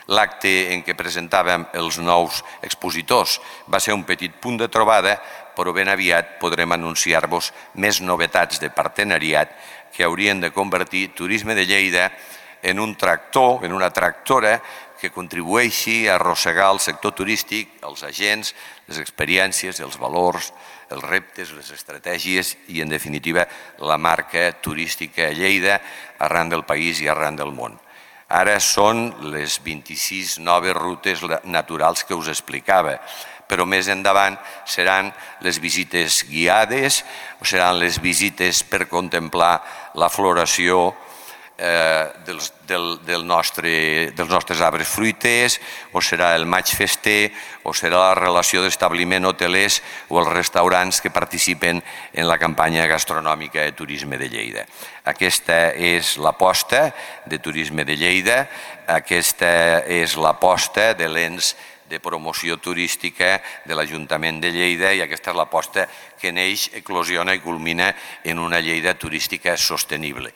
l'acte en què presentàvem els nous expositors va ser un petit punt de trobada, però ben aviat podrem anunciar-vos més novetats de partenariat que haurien de convertir Turisme de Lleida en un tractor, en una tractora que contribueixi a arrossegar el sector turístic, els agents, les experiències, els valors, els reptes, les estratègies i, en definitiva, la marca turística a Lleida arran del país i arran del món. Ara són les 26 noves rutes naturals que us explicava, però més endavant seran les visites guiades o seran les visites per contemplar la floració dels nostres arbres fruiters, o serà el maig fester, o serà la relació d'establiment hotelers o els restaurants que participen en la campanya gastronòmica de Turisme de Lleida. Aquesta és l'aposta de Turisme de Lleida, aquesta és l'aposta de l'ens de promoció turística de l'Ajuntament de Lleida i aquesta és l'aposta que neix, eclosiona i culmina en una Lleida turística sostenible.